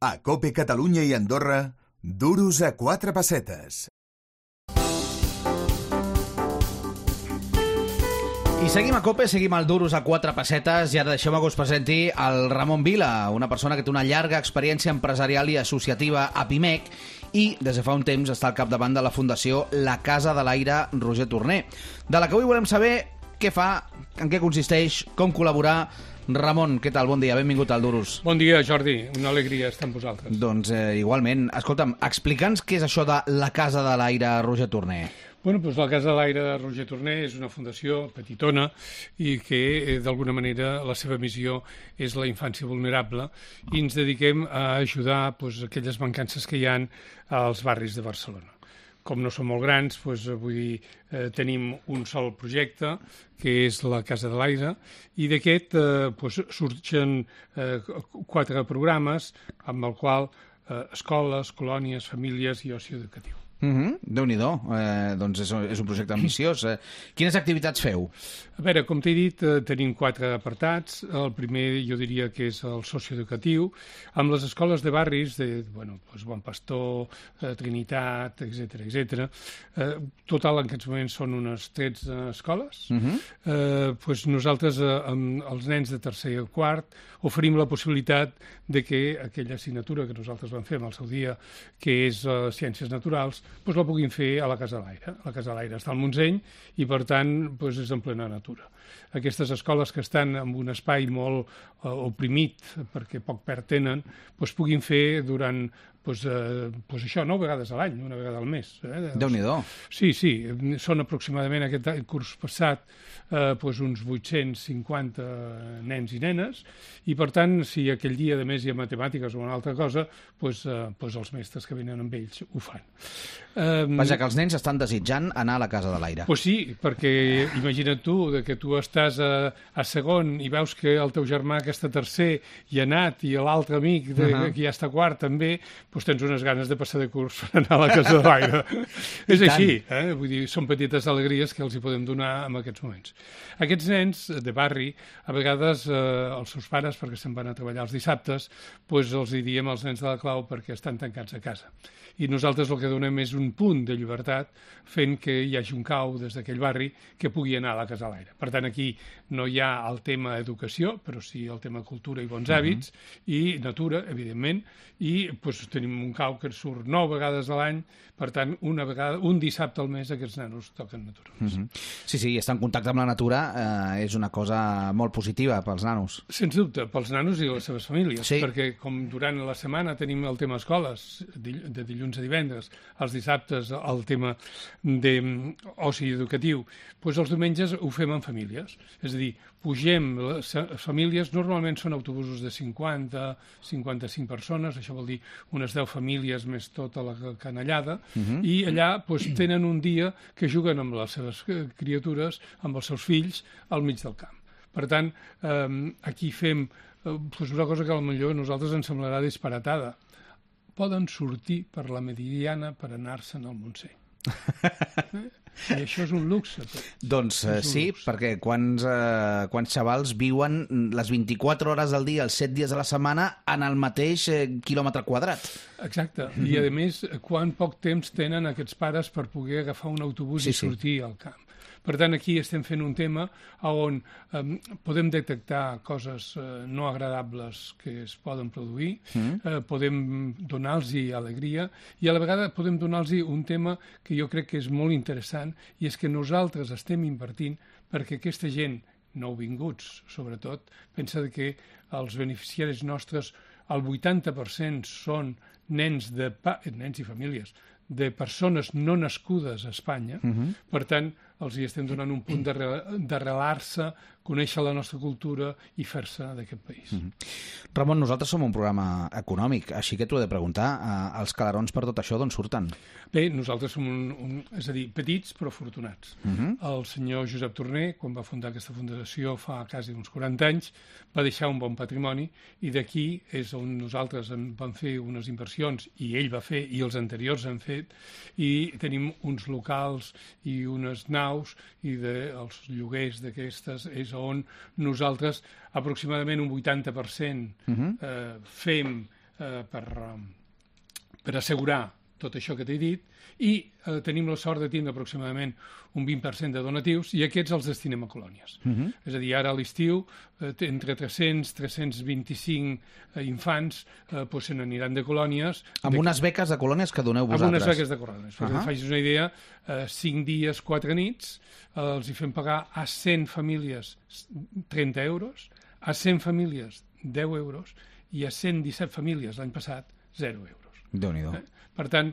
A COPE Catalunya i Andorra, duros a 4 pessetes. I seguim a COPE, seguim al Duros a 4 pessetes i ara deixeu-me que us presenti el Ramon Vila, una persona que té una llarga experiència empresarial i associativa a Pimec i des de fa un temps està al capdavant de la Fundació La Casa de l'Aire Roger Torner, de la que avui volem saber què fa, en què consisteix, com col·laborar. Ramon, què tal? Bon dia, benvingut al Duros. Bon dia, Jordi, una alegria estar amb vosaltres. Doncs igualment, escolta'm, explica'ns què és això de La Casa de l'Aire Roger Torner. Bueno, doncs la Casa de l'Aire de Roger Torner és una fundació petitona i que, d'alguna manera, la seva missió és la infància vulnerable i ens dediquem a ajudar aquelles mancances que hi ha als barris de Barcelona. Com no som molt grans, vull dir, tenim un sol projecte, que és la Casa de l'Aire, i d'aquest surgen 4 programes amb el qual escoles, colònies, famílies i oci educatiu. Déu-n'hi-do, doncs és un projecte ambiciós. Quines activitats feu? A veure, com t'he dit, tenim 4 apartats. El primer jo diria que és el socioeducatiu, amb les escoles de barris, Bon Pastor, Trinitat, etc. Total, en aquests moments són unes 13 escoles. Nosaltres, amb els nens de tercer i quart, oferim la possibilitat de que aquella assignatura que nosaltres vam fer en el seu dia, que és Ciències Naturals, la puguin fer a la Casa de l'Aire. La Casa de l'Aire està al Montseny i, per tant, és en plena natura. Aquestes escoles que estan en un espai molt oprimit, perquè poc perd tenen, puguin fer durant això 9 vegades a l'any, una vegada al mes. Déu-n'hi-do. Sí, són aproximadament aquest curs passat uns 850 nens i nenes, i per tant, si aquell dia de més hi ha matemàtiques o una altra cosa, els mestres que venen amb ells ho fan. Vaja, que els nens estan desitjant anar a la Casa de l'Aire. Sí, perquè imagina't tu, que tu estàs a segon i veus que el teu germà que està tercer hi ha anat i l'altre amic que ja està quart també, tens unes ganes de passar de curs per anar a la Casa de l'Aire. És així, vull dir, són petites alegries que els hi podem donar en aquests moments. Aquests nens de barri, a vegades els seus pares, perquè se'n van a treballar els dissabtes, els hi diem als nens de la clau perquè estan tancats a casa. I nosaltres el que donem és un punt de llibertat fent que hi hagi un cau des d'aquell barri que pugui anar a la Casa de l'Aire. Per tant, aquí no hi ha el tema educació, però sí el tema cultura i bons hàbits i natura, evidentment, i tenim un cau que surt 9 vegades a l'any, per tant, un dissabte al mes aquests nanos toquen natura. Sí, estar en contacte amb la natura és una cosa molt positiva pels nanos. Sens dubte, pels nanos i les seves famílies, sí. Perquè com durant la setmana tenim el tema escoles, de dilluns a divendres, els dissabtes el tema d'oci educatiu, els diumenges ho fem en famílies, és a dir, pugem les famílies, normalment són autobusos de 50-55 persones, això vol dir unes 10 famílies més tota la canallada, i allà tenen un dia que juguen amb les seves criatures, amb els seus fills, al mig del camp. Per tant, aquí fem una cosa que potser a nosaltres ens semblarà disparatada. Poden sortir per la Meridiana per anar-se'n al Montseny. I això és un luxe. Doncs sí, perquè quants xavals viuen les 24 hores del dia, els 7 dies de la setmana, en el mateix quilòmetre quadrat. Exacte. I, a més, quan poc temps tenen aquests pares per poder agafar un autobús i sortir al camp. Per tant, aquí estem fent un tema on podem detectar coses no agradables que es poden produir, podem donar-los alegria i a la vegada podem donar-los un tema que jo crec que és molt interessant i és que nosaltres estem invertint perquè aquesta gent, nouvinguts sobretot, pensa que els beneficiaris nostres, el 80% són nens i famílies de persones no nascudes a Espanya, per tant, els hi estem donant un punt d'arrelar-se, conèixer la nostra cultura i fer-se d'aquest país. Ramon, nosaltres som un programa econòmic, així que t'ho he de preguntar, els calarons per tot això d'on surten? Bé, nosaltres som és a dir, petits però afortunats. El senyor Josep Torner, quan va fundar aquesta fundació fa quasi uns 40 anys, va deixar un bon patrimoni i d'aquí és on nosaltres vam fer unes inversions i ell va fer i els anteriors han fet i tenim uns locals i unes naus i els lloguers d'aquestes és on nosaltres aproximadament un 80% fem per assegurar tot això que t'he dit, i tenim la sort de tindre aproximadament un 20% de donatius, i aquests els destinem a colònies. És a dir, ara a l'estiu, entre 300 i 325 infants se n'aniran de colònies. Amb unes beques de colònies que doneu vosaltres. Amb unes beques de colònies. Perquè facis una idea, 5 dies, 4 nits, els hi fem pagar a 100 famílies 30 euros, a 100 famílies 10 euros, i a 117 famílies l'any passat 0 euros. Déu-n'hi-do. Per tant,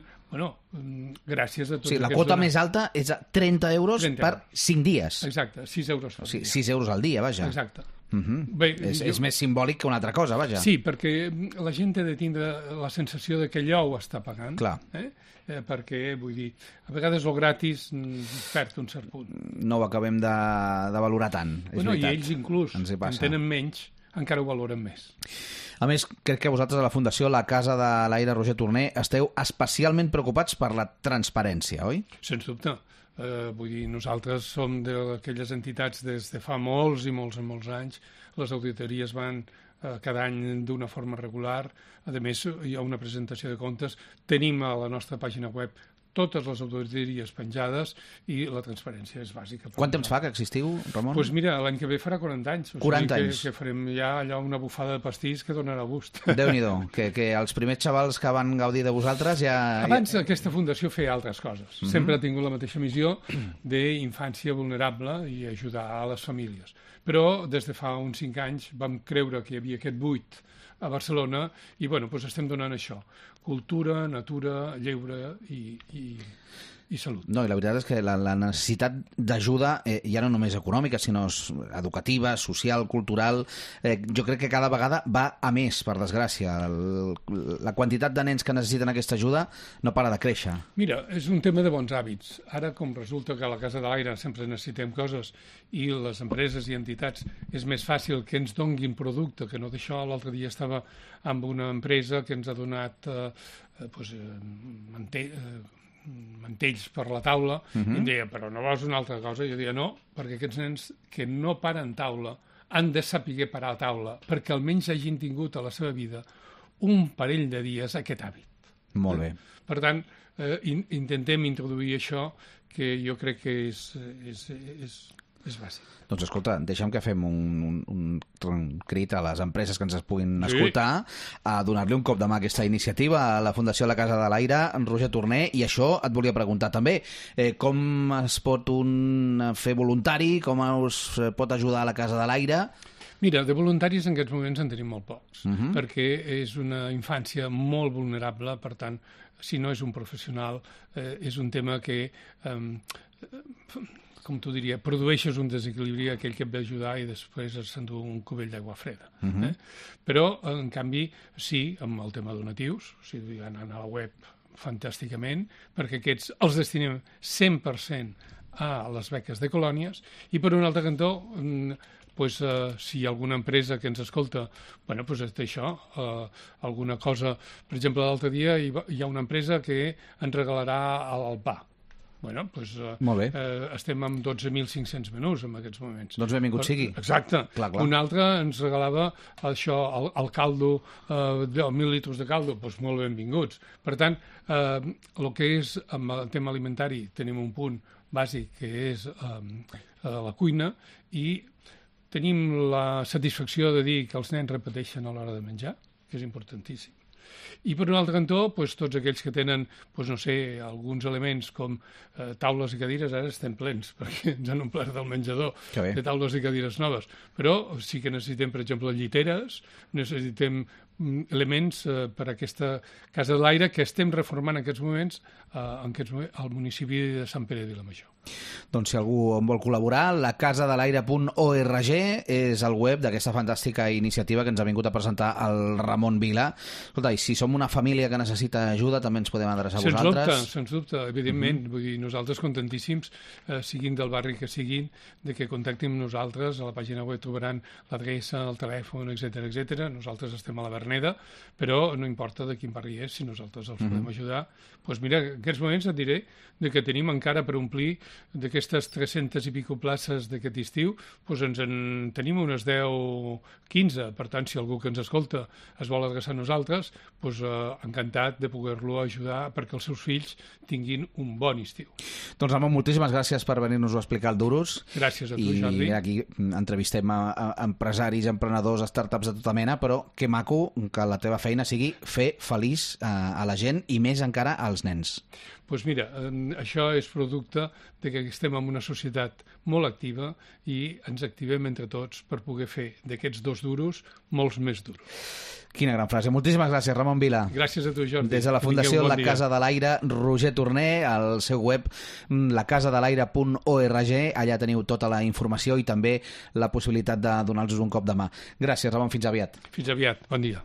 gràcies a tots. Sí, la quota més alta és a 30 euros per 5 dies. Exacte, 6 euros al dia. 6 euros al dia, vaja. Exacte. Bé, és més simbòlic que una altra cosa, vaja. Sí, perquè la gent ha de tindre la sensació de que allò ho està pagant. Clar. Perquè, vull dir, a vegades el gratis perd un cert punt. No ho acabem de valorar tant, és veritat. I ells inclús, en tenen menys, encara ho valoren més. A més, crec que vosaltres a la Fundació La Casa de l'Aire Roger Torner esteu especialment preocupats per la transparència, oi? Sens dubte. Vull dir, nosaltres som d'aquelles entitats des de fa molts i molts anys. Les auditories van cada any d'una forma regular. A més, hi ha una presentació de comptes. Tenim a la nostra pàgina web totes les auditories penjades, i la transparència és bàsica. Quant temps fa que existiu, Ramon? Doncs mira, l'any que ve farà 40 anys. 40 anys. Que farem ja allò una bufada de pastís que donarà gust. Déu-n'hi-do, que els primers xavals que van gaudir de vosaltres ja... Abans aquesta fundació feia altres coses. Sempre ha tingut la mateixa missió d'infància vulnerable i ajudar a les famílies. Però des de fa uns 5 anys vam creure que hi havia aquest buit a Barcelona i estem donant això. Cultura, natura, lleure i salut. No, i la veritat és que la necessitat d'ajuda, ja no només econòmica, sinó educativa, social, cultural, jo crec que cada vegada va a més, per desgràcia. La quantitat de nens que necessiten aquesta ajuda no para de créixer. Mira, és un tema de bons hàbits. Ara, com resulta que a la Casa de l'Aire sempre necessitem coses i les empreses i entitats és més fàcil que ens donguin producte que no d'això. L'altre dia estava amb una empresa que ens ha donat mantells per la taula, i em deia, però no vols una altra cosa? I jo deia, no, perquè aquests nens que no paren taula han de saber parar a taula, perquè almenys hagin tingut a la seva vida un parell de dies aquest hàbit. Molt bé. Per tant, intentem introduir això, que jo crec que és bàsic. Doncs escolta, deixa'm que fem un crit a les empreses que ens puguin escoltar, a donar-li un cop de mà a aquesta iniciativa a la Fundació La Casa de l'Aire, Roger Torner, i això et volia preguntar també. Com es pot fer voluntari? Com us pot ajudar a la Casa de l'Aire? Mira, de voluntaris en aquests moments en tenim molt pocs, perquè és una infància molt vulnerable, per tant, si no és un professional, és un tema que... com t'ho diria, produeixes un desequilibri aquell que et ve ajudar i després s'endú un cubell d'aigua freda. Però, en canvi, sí, amb el tema donatius, o sigui, anant a la web fantàsticament, perquè aquests els destinem 100% a les beques de colònies, i per un altre cantó, si hi ha alguna empresa que ens escolta, té això, alguna cosa... Per exemple, l'altre dia hi ha una empresa que ens regalarà el pa. Molt bé. Estem amb 12.500 menús en aquests moments. Doncs benvingut sigui. Exacte. Clar. Un altre ens regalava això, el caldo, 1.000 litres de caldo, doncs molt benvinguts. Per tant, el que és amb el tema alimentari tenim un punt bàsic que és la cuina, i tenim la satisfacció de dir que els nens repeteixen a l'hora de menjar, que és importantíssim. I per un altre cantó, tots aquells que tenen, alguns elements com taules i cadires, ara estem plens, perquè ens han omplert del menjador de taules i cadires noves. Però sí que necessitem, per exemple, lliteres, necessitem elements per a aquesta Casa de l'Aire que estem reformant en aquests moments al municipi de Sant Pere de Vilamajor. Doncs si algú en vol col·laborar, lacasadelaire.org és el web d'aquesta fantàstica iniciativa que ens ha vingut a presentar el Ramon Vila. Escolta, i si som una família que necessita ajuda, també ens podem adreçar a vosaltres? Sens dubte, evidentment. Vull dir, nosaltres contentíssims, siguin del barri que siguin, de que contactin amb nosaltres. A la pàgina web trobaran l'adreça, el telèfon, etc. Nosaltres estem a la Berna Verneda, però no importa de quin barri és, si nosaltres els podem ajudar. Doncs mira, en aquests moments et diré que tenim encara per omplir d'aquestes 300 i pico places d'aquest estiu, doncs en tenim unes 10-15, per tant, si algú que ens escolta es vol adreçar a nosaltres, doncs encantat de poder-lo ajudar perquè els seus fills tinguin un bon estiu. Doncs Ramon, moltíssimes gràcies per venir-nos a explicar el Durus. Gràcies a tu, Jordi. I aquí entrevistem a empresaris, emprenedors, startups de tota mena, però que maco que la teva feina sigui fer feliç a la gent i més encara als nens. Doncs mira, això és producte de que estem en una societat molt activa i ens activem entre tots per poder fer d'aquests 2 duros molts més duros. Quina gran frase. Moltíssimes gràcies, Ramon Vila. Gràcies a tu, Jordi. Des de la Fundació La Casa de l'Aire, Roger Torner, al seu web lacasadelaire.org, allà teniu tota la informació i també la possibilitat de donar-los un cop de mà. Gràcies, Ramon, fins aviat. Fins aviat, bon dia.